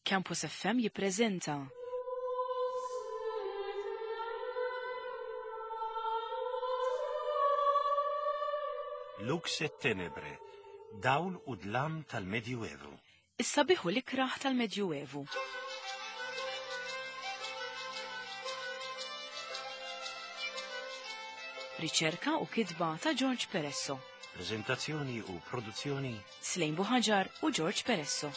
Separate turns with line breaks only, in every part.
Campus FM jippreżenta.
Lux et Tenebre, dawl u dlam tal-Medjuevu.
Is-sabiħ u l-ikrah tal-Medjuevu. Riċerka u kitba ta' George Peresso.
Preżentazzjoni u produzzjoni
Slejn Buħaġar u George Peresso.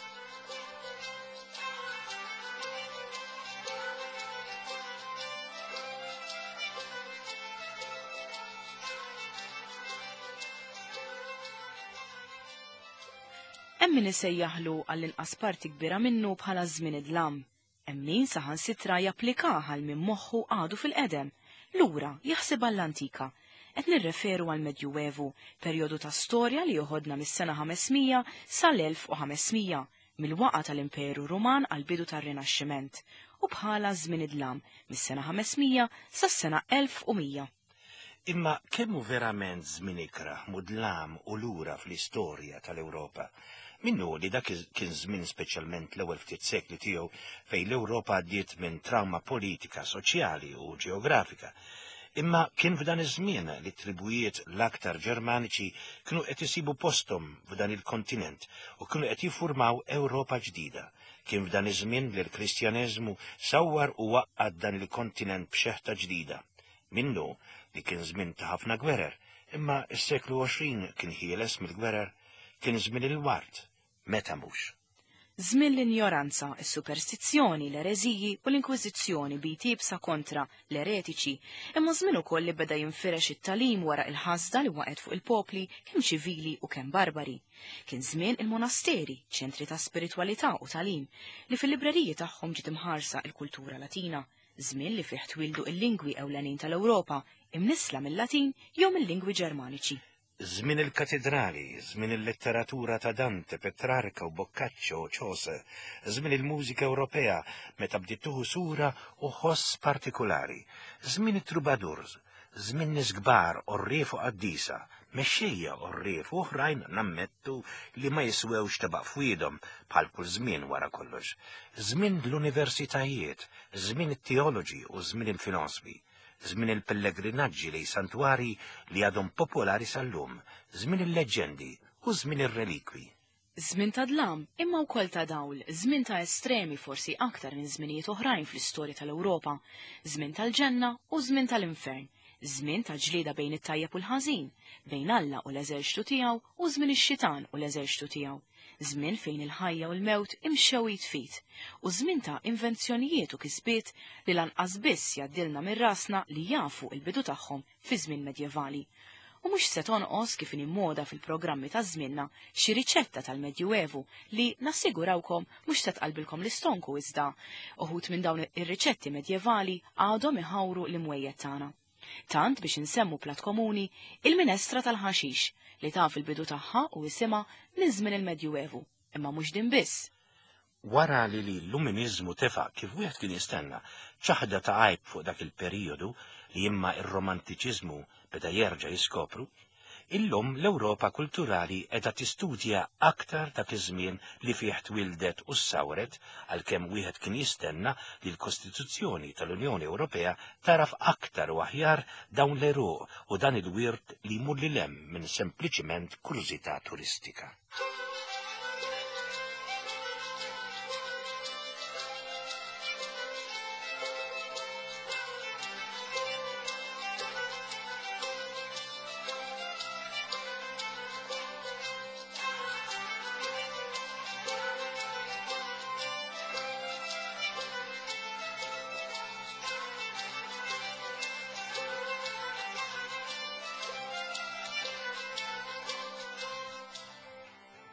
Hemm min isejjaħlu għall-inqas parti kbira minnu bħala żmien id-dlam. Hemm min saħansitra japplikah għal min moħħu għadu fil-qedem, lura, jaħsibha għall-antika. Qed nirreferu għall-Medjuevu, perjodu ta' storja li joħodna mis-sena 500 sal-1500, mill-waqgħa tal-Imperu Ruman għall-bidu tar-Rinaxximent, u bħala żmien id-dlam, mis-sena 500 sas-sena 1100.
Imma kemm hu verament żmien ikrah, mudlam u lura fl-istorja tal-Ewropa? Minnu li dak kien żmien speċjalment l-ewwel ftit sekli tiegħu fejn l-Ewropa għaddiet minn trawma politika, soċjali u ġeografika. Imma kien f'dan iż-żmien li t-tribujiet l-aktar Ġermaniċi kienu qed isibu posthom f'dan il-kontinent u kienu qed jiffurmaw Ewropa ġdida. Kien f'dan iż-żmien li l-Kristjaneżmu sawwar u għaqqad dan il-kontinent b'xeħta ġdida. Minnu li kien żmien ta' ħafna gwerer, imma s-seklu 20 kien ħieles mill-gwerer, kien żmien il-ward, meta mhux.
Żmien l-injoranza, is-superstizzjoni, l-ereżiji u l-inkwiżizzjoni b'id iebsa kontra l-eretiċi, imma żmien ukoll li beda jinfirex it-tagħlim wara il-ħasda li waqgħet fuq il-popli kemm ċivili u kemm barbari. Kien żmien il-monasteri, ċentri ta' spiritwalità u tagħlim, li fil-libreriji tagħhom ġiet imħarsa l-kultura Latina. żmien li fih twieldu il-lingwi ewlenin tal-Ewropa, imnissla mil-Latin jew mil-lingwi Ġermaniċi.
Żmien il-katidrali, żmien il-letteratura ta' Dante, Petrarca u Boccaccio u Chaucer, żmien il-mużika Ewropea meta bdiet tieħu sura u ħoss partikulari, żmien it-troubadours, żmien nies kbar, għorrief u qaddisa, mexxejja għorrief u oħrajn nammettu li ma jiswewx tebaq f'wiedhom bħal kull żmien wara kollox. Żmien l-universitajiet, żmien it-teoloġi u żmien il-filosfi, żmien il-pellegrinaġġi lejn santwarji li għadhom popolari sal-lum, żmien il-leġġendi u żmien ir-relikwi.
Żmien ta' dlam, imma wkoll ta' dawl, żmien ta' estremi forsi aktar minn żminijiet oħrajn fl-istorja tal-Ewropa, żmien tal-ġenna u żmien tal-infern, żmien ta' ġlieda bejn it-tajjeb u l-ħażin, bejn Alla u l-eżerċtu tiegħu u żmien ix-xitan u l-eżerċtu tiegħu, żmien fejn il-ħajja u l-mewt imxew id f'id, u żmien ta' invenzjonijiet u kisbiet li lanqas biss jgħaddilna minn rasna li jafu l-bidu tagħhom fi żmien medjevali. U mhux se tonqos kif inhi moda fil-programmi ta' żmienna xi riċetta tal-Medjuevu li nassigurawkom mhux se tqallbilkom l-istonku iżda uħud minn dawn ir-riċetti medjevali għadhom iħawru l-imwejjed tagħna. Tant biex insemmu plat komuni, il-minestra tal-ħaxix li taf il-bidu tagħha u isimha minn żmien il-Medjuevu. Imma mhux din biss.
Wara li l-Illuminiżmu tefa' kif wieħed kien jistenna, ċaħda ta' għajb fuq dak il-perijodu li imma r-Romantiċiżmu beda jerġa' jiskopru, illum l-Ewropa kulturali qiegħda tistudja aktar dak iż-żmien li fih twieldet u ssawret għalkemm wieħed kien jistenna li l-Kostituzzjoni tal-Unjoni Ewropea tagħraf aktar u aħjar dawn l-għeruq u dan il-wirt li jmur lil hemm minn sempliċiment kurżità turistika.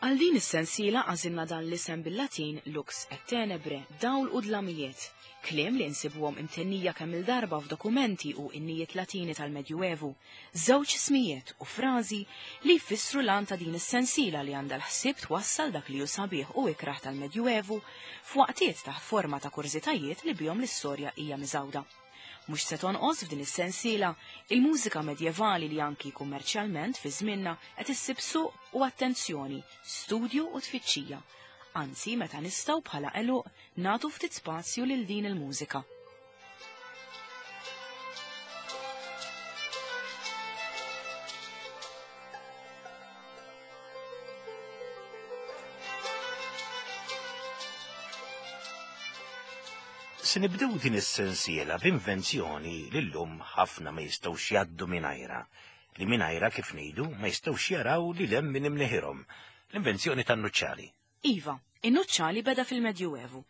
Għal din is-sensiela għażilna dan l-isem bil-Latin lux et tenebre, dawl u dlamijiet, kliem li nsibuhom imtennija kemm-il darba f'dokumenti u innijiet Latini tal-Medjuevu, żewġ ismijiet u frażi li jfissru l-għan ta' din is-sensiela li għandha l-ħsieb twassal dak li hu sabiħ u ikrah tal-Medjuevu f'waqtiet taħt forma ta' kurżitajiet li bihom l-istorja hija miżgħuda. Mhux se tonqos f'din is-sensiela il-mużika medjevali li anki kummerċjalment fi żmienna qed issib suq u attenzjoni, studju u tfittxija. Anzi, meta nistgħu bħala għeluq nagħtu ftit spazju lil din il-mużika.
Se nibdew din is-sensiela b'invenzjoni li llum ħafna ma jistgħux jgħaddu mingħajrha, li mingħajrha kif ngħidu ma jistgħux jaraw lil hemm minn imneħirhom, l-invenzjoni tan-nuċċali.
Iva, in-nuċċali beda fil-Medjuevu.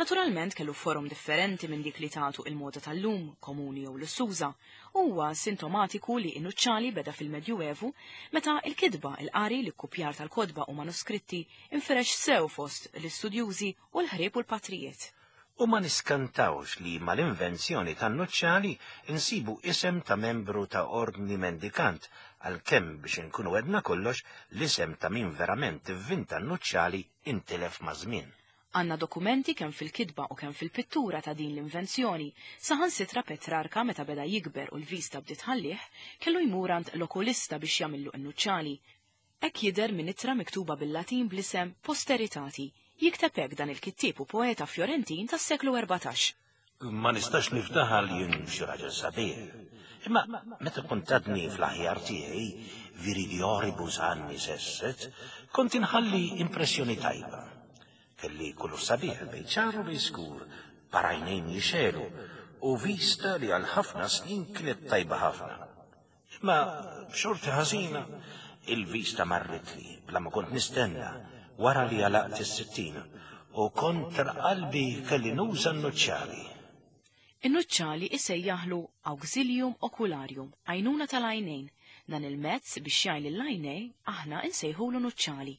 Naturalment kellu forom differenti minn dik li tagħtu il-moda tal-lum, komuni jew lussuża. Huwa sintomatiku li in-nuċċali beda fil-Medjuevu meta il-kitba, il-qari, l-ikkupjar tal-kotba u manuskritti infirex sew fost l-istudjużi u l-ħrieb u l-patrijiet.
U ma niskantawx li mal-invenzjoni tan-nuċċali nsibu isem ta' membru ta' ordni mendikant, għalkemm biex inkunu għedna kollox, l-isem ta' min verament ivvinta n-nuċċali intilef maż-żmien.
Għandna dokumenti kemm fil-kitba u kemm fil-pittura ta' din l-invenzjoni. Saħansitra Petrarka meta beda jikber u l-vista bdiet tħallih, kellu jmur għand l-okulista biex jagħmillu n-nuċċali. Hekk jidher minn ittra miktuba bil-Latin bl-isem Posteritati. Jikteb hekk dan il-kittieb u poeta Fjorentin tas-seklu 14.
Ma nistax niftaħar li jien xi raġel sabiħ. Imma meta kont għadni fl-aħjar tiegħi, viridioribus annis esset, kont inħalli impressjoni tajba. Kelli kulur sabiħ, bejn ċar u bejn skur, par għajnejn jixegħlu, u vista li għal ħafna snin kienet tajba ħafna. Imma b'xorti ħażina, il-vista marritli bla ma kont nistenna wara li għalaqt is-sittin u kontra qalbi kelli nuża n-nuċċali.
In-nuċċali isejjaħlu auxilium ocularium, għajnuna tal-għajnejn. Dan il-mezz biex jgħin lill-għajnej aħna insejħulu nuċċali.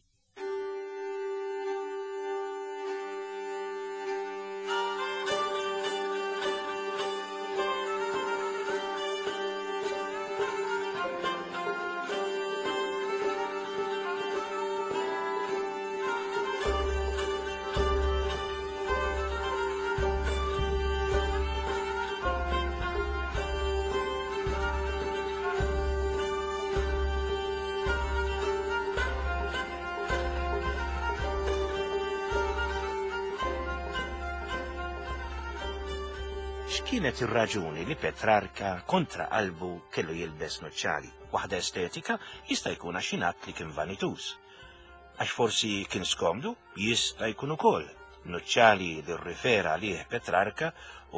X'kienet ir-raġuni li Petrarka kontra qalbu kellu jilbes nuċċali? Waħda estetika jista' jkun għax jingħad li kien vanituż. Għax forsi kien skomdu? Jista' jkun ukoll. Nuċċali li rrifera għalih Petrarka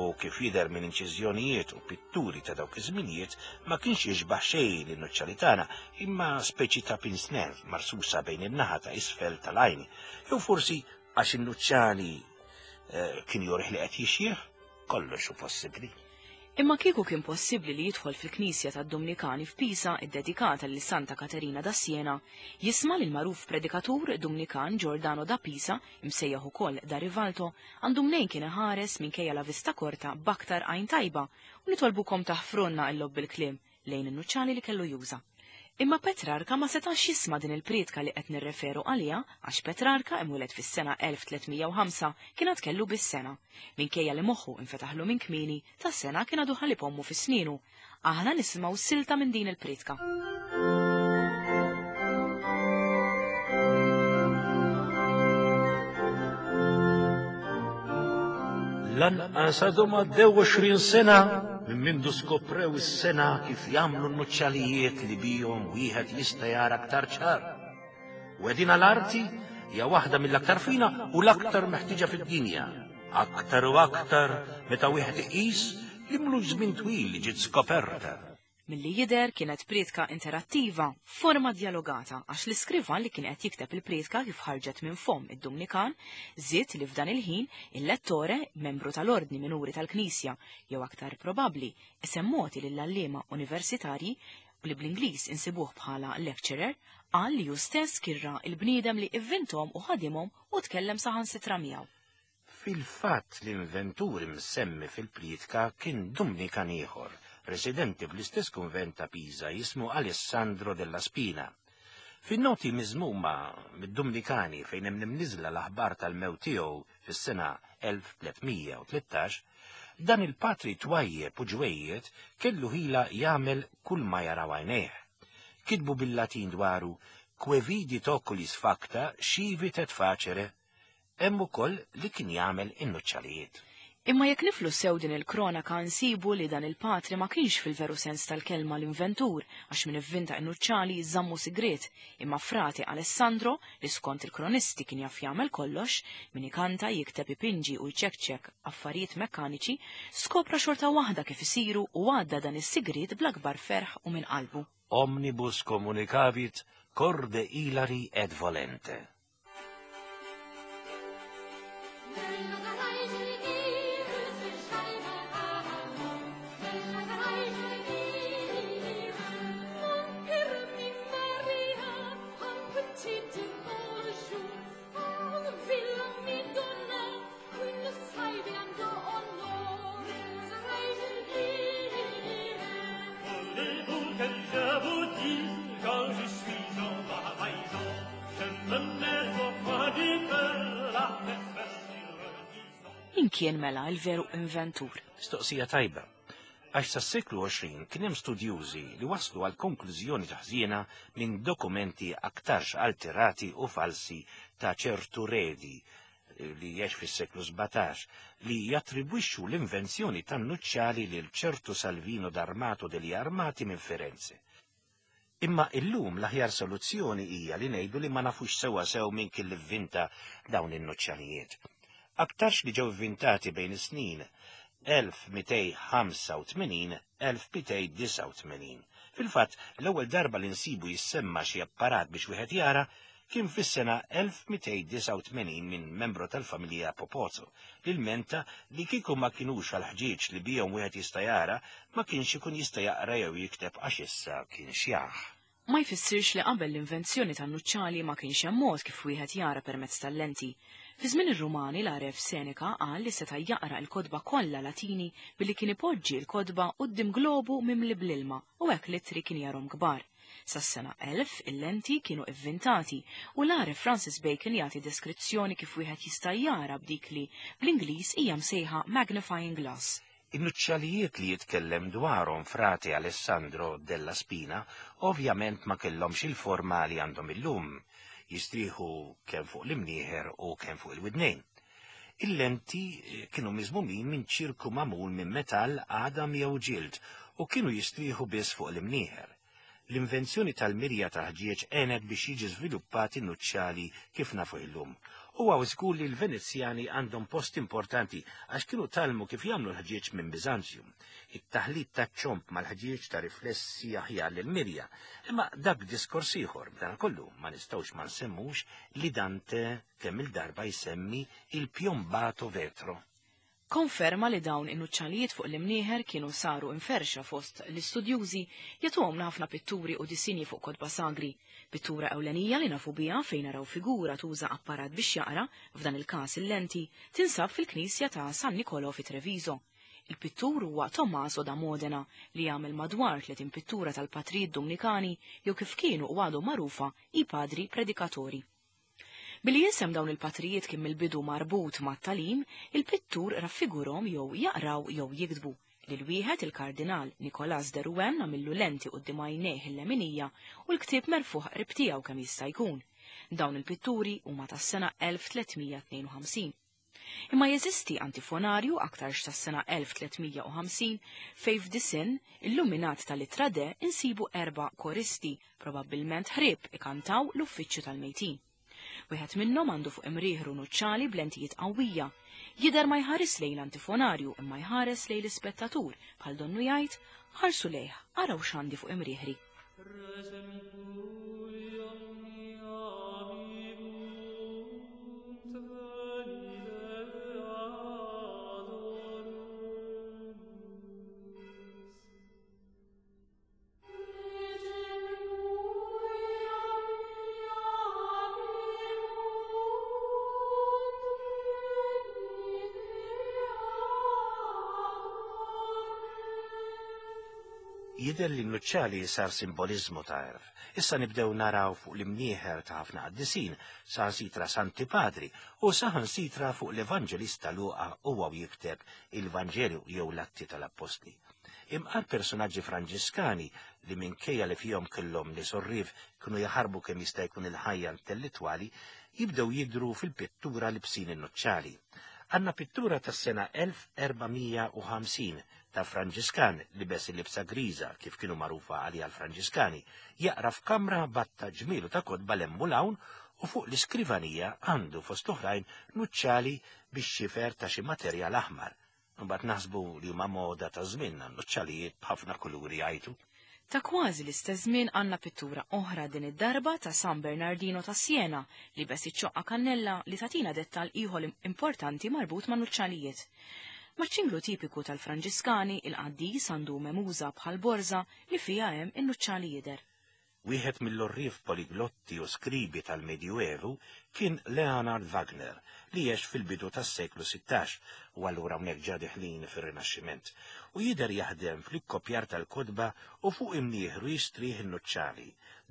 u kif jidher minn inċiżjonijiet u pitturi ta' dawk iż-żminijiet ma kienx jixbah xejn lin-nuċċali tagħna, imma speċi ta' pince-nez marsusa bejn in-naħa ta' isfel tal-għajn. Jew forsi għax in-nuċċali eh, kien jurih li qed jixjieħ? Kollox hu possibbli.
Imma kieku kien possibbli li jidħol fil-knisja tad-Dumnikani f'Pisa ddedikata lil Santa Katerina da Siena, jisma' lill-magħruf predikatur Dumnikan Giordano da Pisa, imsejjaħ ukoll da Rivalto, għandu mnejn kien iħares minkejja la vista korta b'aktar għajn tajba, u nitolbukom taħfrulna l-logħob bil-kliem, lejn in-nuċċali li kellu juża. Imma Petrarka ma setax jisma' din il-prietka li qed nirreferu għaliha għax Petrarka, imwieled fis-sena 1305, kien għad kellu biss sena. Minkejja li moħħu infetaħlu minn kmieni, ta' sena kien għadu ħalib ommu fi snienu. Aħna nisimgħu silta minn din il-prietka.
Lanqas għadhom għaddew 20 sena minn mindu skoprew is-sengħa kif jagħmlu n-nuċċalijiet li bihom wieħed jista' jara aktar ċar. U qegħdin l-arti hija waħda mill-aktar fina u l-aktar meħtieġa fid-dinja. Aktar u aktar meta wieħed iqis li mlux żmien twil li ġiet skoperta.
Milli jidher kienet prietka interattiva, f'forma djalogata, għax l-iskrivan li kien qed jikteb il-prietka kif ħarġet minn fomm id-Dumnikan, żied li f'dan il-ħin il-lettore, membru tal-ordni minuri tal-Knisja, jew aktar probabbli, isem mogħti lill-għalliema universitarji, u li bl-Ingliż insibuh bħala lecturer, qal li hu stess kien ra l-bniedem li ivvinthom u ħadimhom u tkellem saħansitra miegħu.
Fil-fatt l-inventur imsemmi fil-prietka kien Dumnikan ieħor, residenti fl-istess kunvent ta' Pisa jismu Alessandro della Spina. Fin-noti miżmuma mid-Dumnikani fejn hemm imniżżla l-aħbar tal-mewt tiegħu fis-sena 1313, dan il-patri twajjeb u ġwejjed kellu ħila jagħmel kull ma jaraw għajnejh. Kitbu bil-Latin dwaru, Que vidit oculis facta, scivit et facere. Hemm ukoll li kien jagħmel in-nuċċalijiet.
Imma jekk niflu sew din il-kronaka nsibu li dan il-patri ma kienx fil-veru sens tal-kelma l-inventur, għax min ivvinta n-nuċċali żammu sigriet, imma frate Alessandro, li skont il-kronisti kien jaf jagħmel kollox, min ikanta, jikteb, ipinġi u jċekċek affarijiet mekkaniċi, skopra xorta waħda kif isiru u għadda dan is-sigriet bl-akbar ferħ u minn qalbu.
Omnibus communicavit corde ilari et volente.
Voulez-vous que je vous dise, quand je suis en bas je me mets au coin du feu, la tête sur le
Min kien mela il-veru inventur?
Mistoqsija tajba. Għax sas-seklu 20 kien hemm studjużi li waslu għal konklużjoni taħżiena minn dokumenti aktarx alterati u falsi ta' ċertu Redi li jgħix fis-seklu 17 li jattribwixxu l-invenzjoni tan-nuċċali lil ċertu Salvino d'Armato degli Armati minn Firenze. Imma illum l-aħjar soluzzjoni hija li ngħidu li ma nafux sewwa sew min kien li vvinta dawn in-nuċċalijiet. Aktarx li ġew ivvintati bejn is-snin 1285-1289. Fil-fatt, l-ewwel darba li nsibu jissemma xi apparat biex wieħed jara kien fis-sena 1289 minn membru tal-familja Popozzo, li lmenta li kieku ma kinux għall-ħġieġ li bihom wieħed jista' jara, ma kienx ikun jista' jaqra jew jikteb għax issa kien xjaħ.
Ma jfissirx li qabel l-invenzjoni tan-nuċċali ma kienx hemm mod kif wieħed jara permezz tal-lenti. Fi żmien ir-Rumani l-għaref Seneca qal li seta' jaqra l-kotba kollha Latini billi kien ipoġġi l-kotba quddiem globu mimli bl-ilma u hekk l-ittri kien jarhom kbar. Sas-sena 1000 il-lenti kienu ivvintati u l-għaref Francis Bacon jagħti deskrizzjoni kif wieħed jista' jara b'dik li bl-Ingliż hija msejħa magnifying glass.
In-nuċċalijiet li jitkellem dwarhom frate Alessandro della Spina ovvjament ma kellhomx il-forma li għandhom illum, jistrieħu kemm fuq l-imnieħer u kemm fuq il-widnejn. Il-lenti kienu miżmumin minn ċirku magħmul minn metall, għadam jew ġild u kienu jistrieħu biss fuq l-imnieħer. L-invenzjoni tal-mirja ta' ħġieġ għenet biex jiġi żviluppat in-nuċċali kif nafu illum. Huwa żgur li l-Venezjani għandhom post importanti għax kienu tgħallmu kif jagħmlu l-ħġieġ minn Biżanzju. It-taħlit taċ-ċomb mal-ħġieġ ta riflessi aħjar lill-mirja. Imma dak diskors ieħor, b'danakollu ma nistgħux ma nsemmux li Dante kemm-il darba jsemmi il-piombato vetro.
Konferma li dawn in-nuċċalijiet fuq l-imnieħer kienu saru imferrxa fost l-istudjużi jagħtuhomna ħafna pitturi u disinji fuq kotba sagri. Pittura ewlenija li nafu biha fejn naraw figura tuża apparat biex jaqra, f'dan il-każ il-lenti, tinsab fil-knisja ta' San Nicolò fi Treviso. Il-pittur huwa Tommaso da Modena li għamel madwar 30 pittura tal-patrijiet Dumnikani jew kif kienu u għadhom magħrufa i padri predikatori. Billi isem dawn il-patrijiet kien mill-bidu marbut mat-tagħlim, il-pittur raffigurhom jew jaqraw jew jiktbu. Lil wieħed il-Kardinal Nicolas de Rouen għamillu lenti quddiem għajnejh il-leminija u l-ktieb merfugħ qrib tiegħu kemm jista' jkun. Dawn il-pitturi huma tas-sena 1352. Imma jeżisti antifonarju aktarx tas-sena 1350 fejn f'disinn illuminat tal-ittra D insibu 4 koristi, probabbilment ħrieb, ikantaw l-uffiċċju tal-mejtin. Wieħed minnhom għandu fuq imrieħru nuċċali b'lentijiet qawwija. Jidher ma jħares lejn l-antifonarju imma jħares lejn l-ispettatur bħal donnu jgħid ħarsu lejh, araw x'għandi fuq imrieħri.
Jidher li n-nuċċali sar simboliżmu ta' għerf. Issa nibdew naraw fuq l-imnieħer ta' ħafna qaddisin, saħansitra Santi Padri, u saħansitra fuq l-Evanġelista Luqa huwa u jikteb il-Vanġelu jew l-Atti tal-Appostli. Imqar personaġġi Franġiskani li minkejja li fihom kellhom nies għorrief kienu jaħarbu kemm jista' jkun il-ħajja intellettwali, jibdew jidhru fil-pittura libsin in-nuċċali. Għandna pittura tas-sena 1450 ta' Franġiskan libes il-libsa griża kif kienu magħrufa għaliha l-Franġiskani, jaqra f'kamra batta ġmielu ta' kotba 'l hemm u 'l hawn u fuq l-iskrivanija għandu fost oħrajn nuċċali bix-xifer ta' xi materjal aħmar. Imbagħad naħsbu li huma moda ta' żmienna n-nuċċalijiet b'ħafna kuluri jgħajtu.
Ta' kważi l-istess żmien għandna pittura oħra din id-darba ta' San Bernardino ta' Siena libes iċ-ċoqqa kannella li tagħtina dettall ieħor importanti marbut ma' nuċċalijiet. Maċ-ċinglu tipiku tal-Franġiskani, il-qaddis għandu memuża bħal borża li fiha hemm in-nuċċali jidher.
Wieħed mill-għorrief poliglotti u skribi tal-Medjuevu kien Leonhard Wagner, li għex fil-bidu tas-seklu 16, u allura hawnhekk ġa deħlin fir-Rinaxximent, u jidher jaħdem fl-ikkopjar tal-kotba u fuq imnieħru jistrieħ in-nuċċali.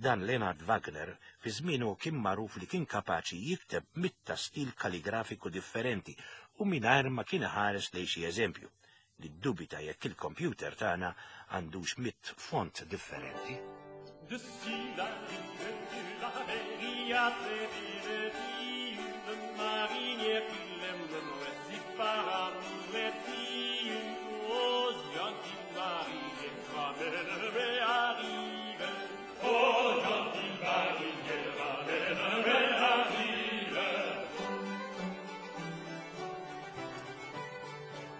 Dan Leonhard Wagner fi żmienu kien magħruf li kien kapaċi jikteb mitta stil kaligrafiku differenti u mingħajr ma kien iħares lejn xi eżempju. Niddubita jekk il-kompjuter tagħna għandux mitt font differenti.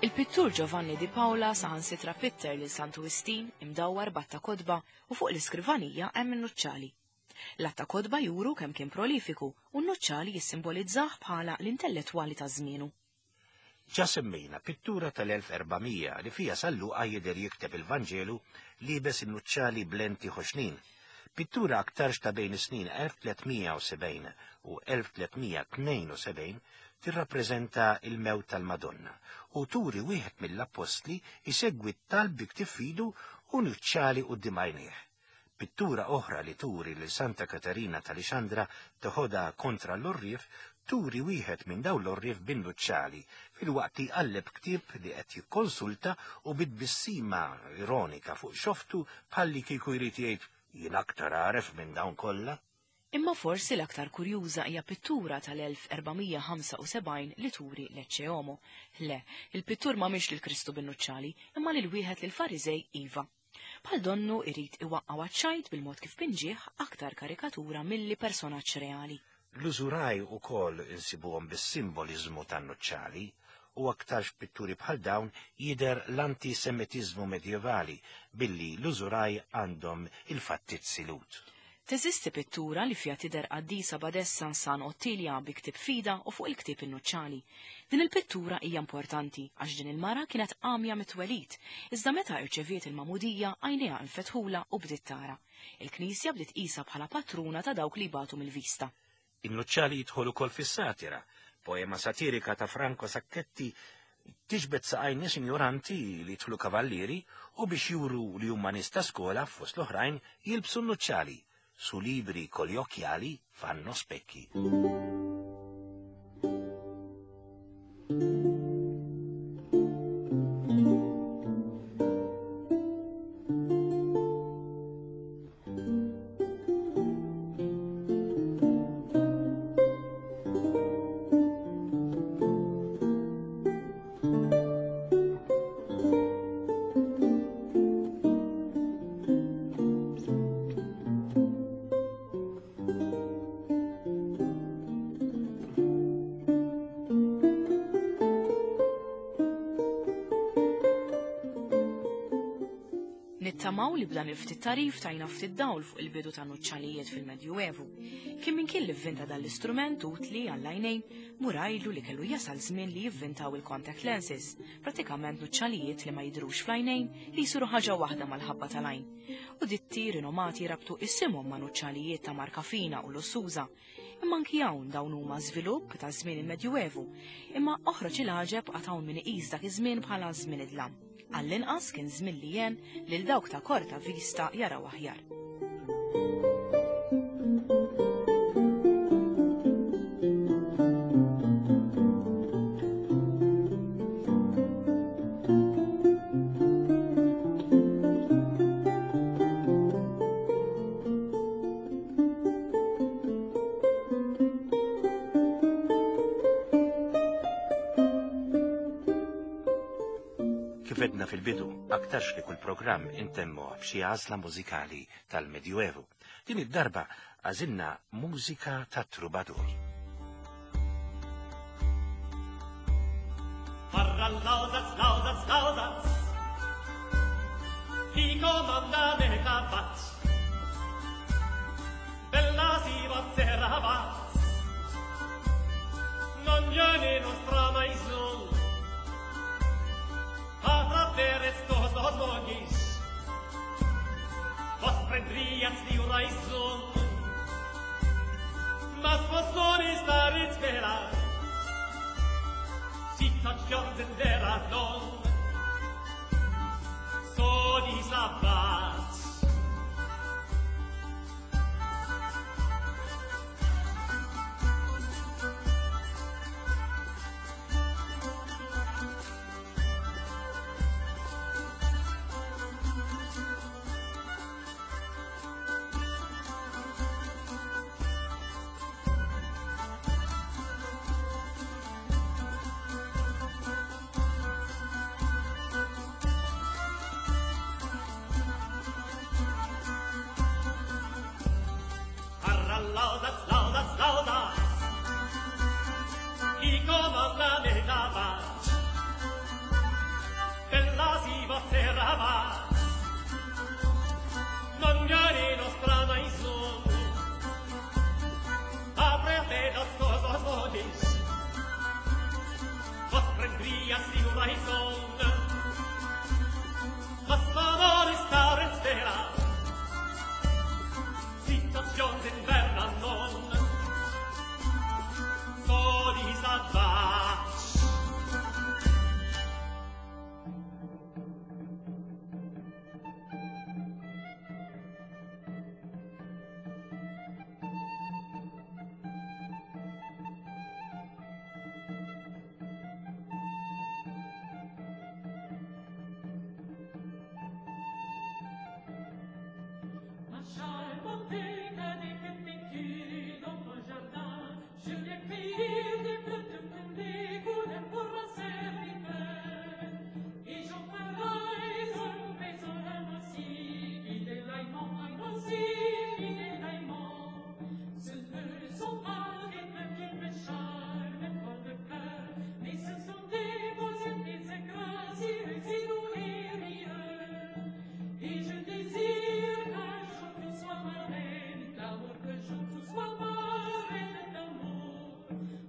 Il-pittur Giovanni Di Paola saħansitra pitter lil Santu Wistin imdawwar b'għadd ta' kotba u fuq l-iskrivanija hemm in-nuċċali. L-għadd ta' kotba juru kemm kien prolifiku u n-nuċċali jissimbolizzah bħala l-intellettwali ta' żmienu.
Ġa semmejna pittura tal-1400 li fiha San Luqa jidher jikteb il-Vanġelu liebes in-nuċċali b'lenti ħoxnin. Pittura aktarx ta' bejn is-snin 1370 u 1372 tirrappreżenta l-mewt tal-Madonna u turi wieħed mill-appostli jsegwi t-talb bi ktieb f'idu u nuċċali quddiem għajnejh. Pittura oħra li turi lil Santa Katerina ta' Lixandra teħodha kontra l-għorrief turi wieħed minn dawn l-għorrief bin-nuċċali filwaqt li jqalleb ktieb li qed jikkonsulta u bi tbissima ironika fuq xoftu bħallikieku jrid jgħid jien aktar għaref minn dawn kollha.
Imma forsi l-aktar kurjuża hija pittura tal-1475 li turi l-Ecce Homo. Le, il-pittur m'għamilx lil Kristu bin-nuċċali, imma lil wieħed lill-Fariżej iva. Bħal donnu irid iwaqqgħu għaċ-ċajt bil-mod kif pinġieh aktar karikatura milli personaġġ reali.
L-użuraj ukoll insibuhom bis-simboliżmu tan-nuċċali, u aktarx f'pitturi bħal dawn jidher l-anti-Semitiżmu medjevali billi l-użuraj għandhom il-fattizzi Lhud.
Teżisti pittura li fiha tidher qaddisa badessa San Ottilia bi ktieb f'idha u fuq il-ktieb in-nuċċali. Din il-pittura hija importanti għax din il-mara kienet għamja mit-twelid, iżda meta irċeviet il-magħmudija għajnejha infetħulha u bdiet tara. Il-Knisja bdiet tqisha bħala patruna ta' dawk li jbatu mill-vista.
In-nuċċali jidħol ukoll fis-satira. Poema satirika ta' Franco Sacchetti tiġbed saqajn nies injoranti li jidħlu kavallieri u biex juru li huma nies ta' skola, fost l-oħrajn, jilbsu n-nuċċali. Su libri con gli occhiali fanno specchi.
Nittamaw li b'dan il-ftit tagħrif tajna ftit dawl fuq il-bidu ta' nuċċalijiet fil-Medjuevu. Kien min kien li vvinta dan l-istrument utli għall-għajnejn, mur għidlu li kellu jasal żmien li jivvintaw il-contact lenses, pratikament nuċċalijiet li ma jidhrux fl-għajnejn li jsiru ħaġa waħda mal-ħabba tal-għajn. U ditti rinomati rabtu isimhom ma' nuċċalijiet ta' marka fina u lussuża. Imma anki hawn dawn huma żvilupp ta' żmien il-Medjuevu. Imma oħroġ il-għaġeb għad hawn min iqis dak iż-żmien bħala żmien id-dlam. Għall-inqas kien żmien li għen lil dawk ta' korta vista jaraw aħjar.
Kif edna fil-bidu, aktarx li kull programm intemmu b'xi għażla mużikali tal-Medjuevu. Din id-darba għażilna mużika ta' trubadur.
Barra l-lawzaz, lawzaz, lawzaz, Chi comanda ne cavaz, Bella si vozzera vaz, Non viene nostra maison, A travers estos dos monjes, Vos prendrías de una raison, Mas vos non estar espera, Situazione della non, So di sabbat. Arra laudas, laudas, laudas, Chi comanda ne cavaz, Bella si vozzera vaz, Non viene nostra maison, Apre a te dos cosas modis, Vos prendrias di una raison, Mas favore star in stella, Situazione inverna non, So di sabbat.
Ma charmante cadet que fais-tu dans ton jardin? Je viens cueillir des fleurs de prunelle couleur pour ma serviteur. Et j'en ferai un maison ainsi, fidèle aimant, ainsi, fidèle aimant. Ce ne sont pas des fleurs qui me charment dans le cœur, mais ce sont des beaux yeux, des gracieux et doux et rieurs. Et je désire qu'un jour tu sois ma reine d'amour, que jour tu sois ma reine d'amour.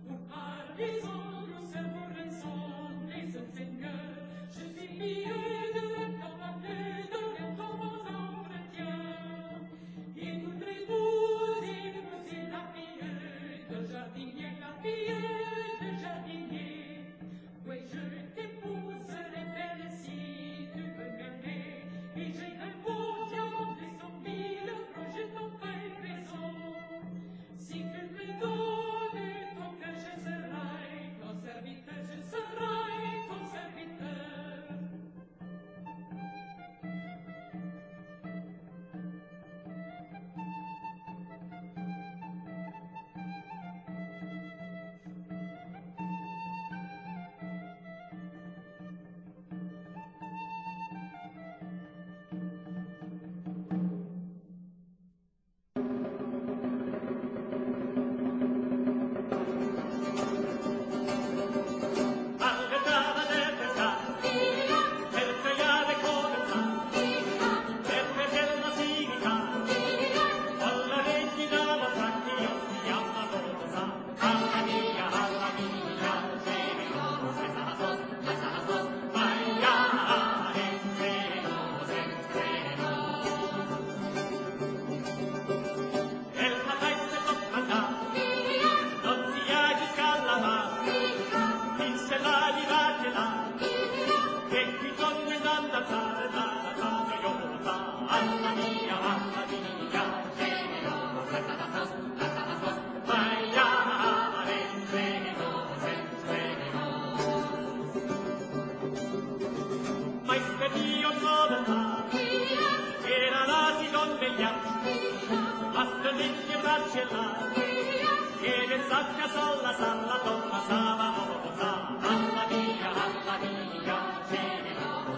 Pour par les douceur, pour raison des seigneurs, je suis mieux de capable de rien dans vos entretiens. Et voudrez-vous épouser la fille de jardinier, la fille de jardinier? Oui, je t'épouserai belle si tu veux m'aimer. Et j'ai un beau diamant de 100 000 francs, je t'en fais raison. Si tu me donnes ton cœur, je serai ton serviteur, je serai ton serviteur.
All'entrata del pescato, per pregare comenzare, per vedere la dignità, alla regina vostra che io si chiama Rosa. Alla mia, generosa, sos, sos, maiare, generosa, generosa. El patente comandà, non si agisca la mano, Vinse la di là, e qui donne danzare, danzare, gioiosa, alla mia, generosa, sos, sos, maiare, generosa, generosa. Ma Dio dove sta, era la si conveglia, basta mille braccia là, che ne sacca sola, salla, donna, sava, rosa, alla via, generosa.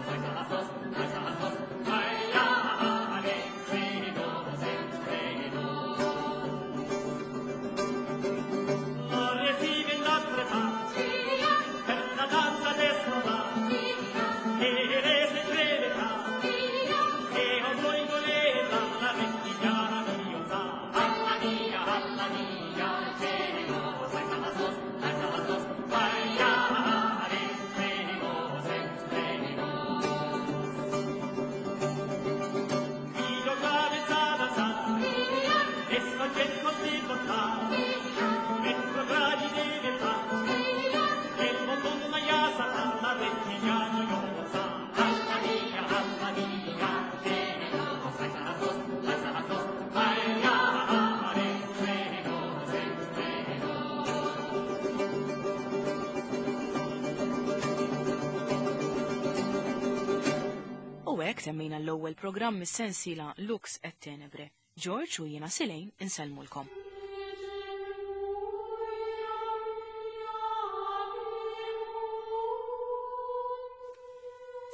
Hawnhekk temmejna l-ewwel programm mis-sensiela Lux et Tenebre. George u jiena Silejn insellmulkom.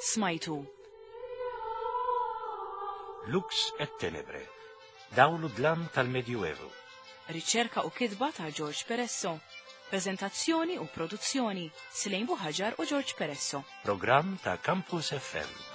Smajtu.
Lux et Tenebre, dawl u dlam tal-Medjuevu.
Riċerka u kitba ta' George Peresso. Prezentazzjoni u produzzjoni Silejn Buħaġar u George Peresso.
Programm ta' Campus FM.